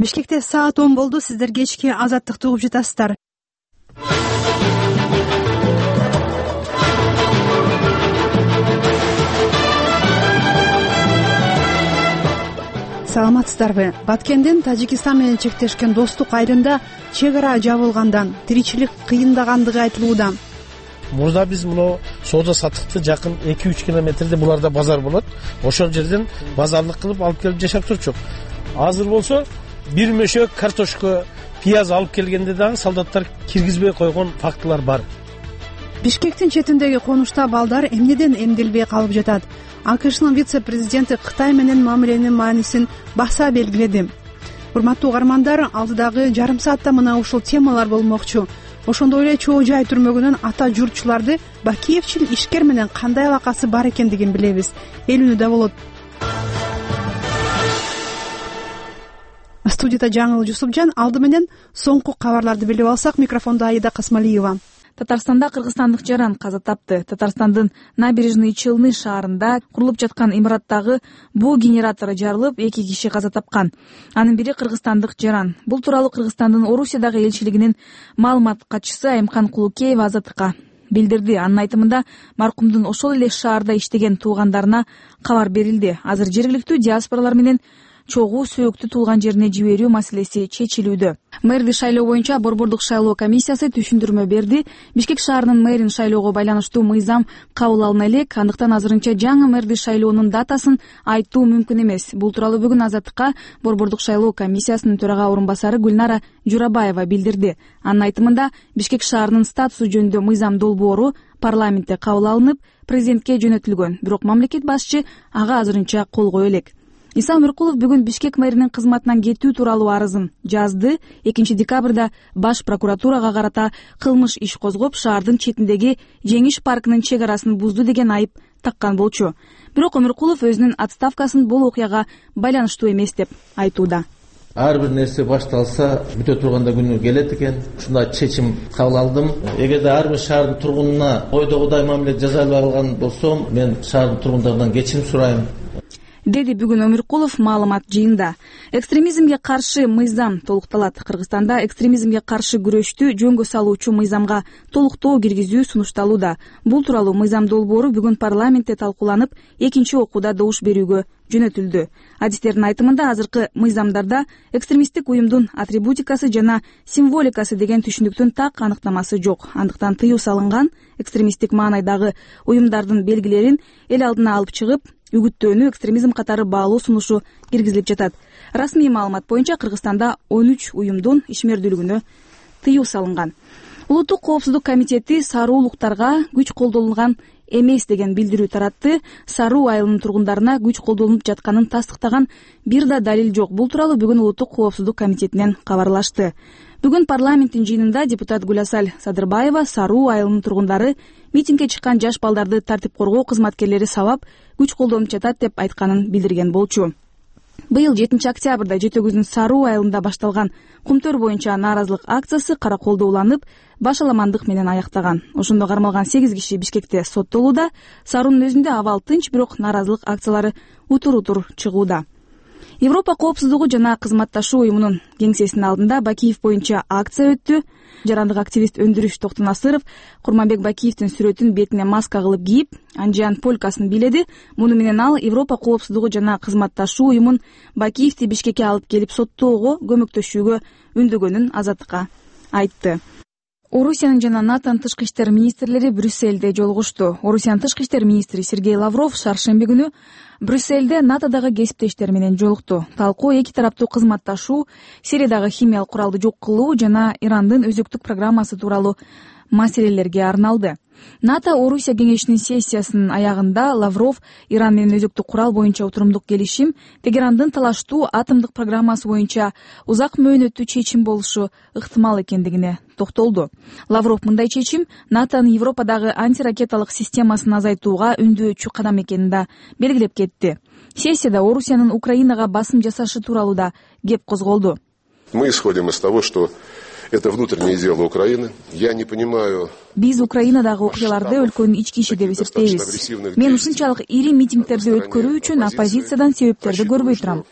Бишкекте саат 10 болду. Сиздер кечки Азаттыкты угуп жатасыздар. Саламатсыздарбы? Баткендин Тажикистан менен чектешкен достук айрымда чек ара жабылгандан тиричилик кыйындагандыгы айтылууда. Мурда биз муну соода саттыкты жакын 2-3 километрде буларда базар болот. Ошол жерден базарлык кылып алып келип жашап турчук. Азыр болсо бир мөшөк картошка, пияз алып келгенде дагы солдаттар киргизбей койгон фактылар бар. Бишкектин четиндеги конушта балдар эмнеден эмдилбей калып жатат? АКШнын вице-президенти Кытай менен мамиленин маанисин баса белгиледи. Урматтуу угармандар, алдыдагы жарым саатта мына ушул темалар болмокчу. Ошондой эле чоо жай түрмөгүнүн ата журтчуларды Бакиевчил ишкер менен кандай алакасы бар экендигин билебиз. Эл үнү да болот. Студияда Жаңыл Жусупжан. Алды менен соңку кабарларды билип алсак, микрофондо Аида Касмалиева. Татарстанда кыргызстандык жаран каза тапты. Татарстандын Набережный Челны шаарында курулуп жаткан имараттагы буу генератору жарылып, 2 киши каза тапкан. Анын бири кыргызстандык жаран. Бул тууралуу Кыргызстандын Орусиядагы элчилигинин маалымат катчысы Айымкан Кулукеева Азаттыкка билдирди. Анын айтымында маркумдун ошол эле шаарда иштеген туугандарына кабар берилди. Азыр жергиликтүү диаспоралар менен чогуу сөөктү туулган жерине жиберүү маселеси чечилүүдө. Мэрди шайлоо боюнча Борбордук шайлоо комиссиясы түшүндүрмө берди. Бишкек шаарынын мэрин шайлоого байланыштуу мыйзам кабыл алына элек, андыктан азырынча жаңы мэрди шайлоонун датасын айтуу мүмкүн эмес. Бул тууралуу бүгүн Азаттыкка Борбордук шайлоо комиссиясынын төрага орун басары Гүлнара Журабаева билдирди. Анын айтымында Бишкек шаарынын статусу жөнүндө мыйзам долбоору парламентте кабыл алынып, президентке жөнөтүлгөн. Бирок мамлекет башчы ага азырынча кол кое элек. Иса Өмүркулов бүгүн Бишкек мэринин кызматынан кетүү тууралуу арызын жазды. 2 декабрда баш прокуратурага карата кылмыш иш козгоп, шаардын четиндеги Жеңиш паркынын чек арасын бузду деген айып таккан болчу. Бирок Өмүркулов өзүнүн отставкасын бул окуяга байланыштуу эмес деп айтууда. Ар бир нерсе башталса, бүтө турганда күнү келет экен. Ушундай чечим кабыл алдым. Эгерде ар бир шаардын тургунуна ойдогудай мамиле жасай албай калган болсом, мен шаардын тургундарынан кечирим сурайм, деди бүгүн Өмүркулов маалымат жыйында. Экстремизмге каршы мыйзам толукталат. Кыргызстанда экстремизмге каршы күрөштү жөнгө салуучу мыйзамга толуктоо киргизүү сунушталууда. Бул тууралуу мыйзам долбоору бүгүн парламентте талкууланып, 2 окууда добуш берүүгө жөнөтүлдү. Адистердин айтымында азыркы мыйзамдарда экстремисттик уюмдун атрибутикасы жана символикасы деген түшүнүктүн так аныктамасы жок. Андыктан тыюу салынган экстремисттик маанайдагы уюмдардын белгилерин эл алдына алып чыгып, үгүттөөнү экстремизм катары баалуу сунушу киргизилип жатат. Расмий маалымат боюнча Кыргызстанда 13 уюмдун ишмердүүлүгүнө тыюу салынган. Улуттук коопсуздук комитети саруулуктарга күч колдонулган эмес деген билдирүү таратты. Саруу айылынын тургундарына күч колдонулуп жатканын тастыктаган бир да далил жок. Бул тууралуу бүгүн Улуттук коопсуздук комитетинен кабарлашты. Бүгүн парламенттин жыйынында депутат Гүласал Садырбаева Саруу айылынын тургундары митингге чыккан жаш балдарды тартип коргоо кызматкерлери сабап күч колдонуп жатат деп айтканын билдирген болчу. Быйыл 7 октябрда Жети Өгүздүн Саруу айылында башталган кумтөр боюнча нааразылык акциясы кара колдо уланып, башаламандык менен аяктаган. Ошондо кармалган 8 киши Бишкекте соттолууда. Саруунун өзүндө абал тынч, бирок нааразылык акциялары утур чыгууда. Европа коопсуздугу жана кызматташуу уюмунун кеңсесинин алдында Бакиев боюнча акция өттү. Жарандык активист Өндүрүш Токтонасыров Курманбек Бакиевдин сүрөтүн бетине маска кылып кийип, Анжиан полкасын бийледи. Муну менен ал Европа коопсуздугу жана кызматташуу уюмун Бакиевди Бишкекке алып келип соттоого көмөктөшүүгө үндөгөнүн Азаттыкка айтты. Орусиянын жана НАТОнун тышкы иштер министрлери Брюссельде жолугушту. Орусиянын тышкы иштер министри Сергей Лавров шаршемби күнү Брюссельде НАТОдагы кесиптештери менен жолукту. Талкуу эки тараптуу кызматташуу, Сириядагы химиялык куралды жок кылуу жана Ирандын өзөктүк программасы тууралуу маселелерге арналды. НАТО Орусия кеңешинин сессиясынын аягында Лавров Иран менен өзөктүк курал боюнча отурумдук келишим, Тегерандын талаштуу атомдук программасы боюнча узак мөөнөттүү чечим болушу ыктымал экендигине токтолду. Лавров мындай чечим НАТОнун Европадагы антиракеталык системасын азайтууга үндөочү кадам экенин да белгилеп кетти. Сессияда Орусиянын Украинага басым жасашы тууралуу да кеп козголду. Мы исходим из того, что это внутреннее дело Украины. Я не понимаю. Биз Украинадагы окуяларды өлкөнүн ички иши деп эсептейбиз. Мен ушунчалык ири митингдерди өткөрүү үчүн оппозициядан себептерди көрбөй турам.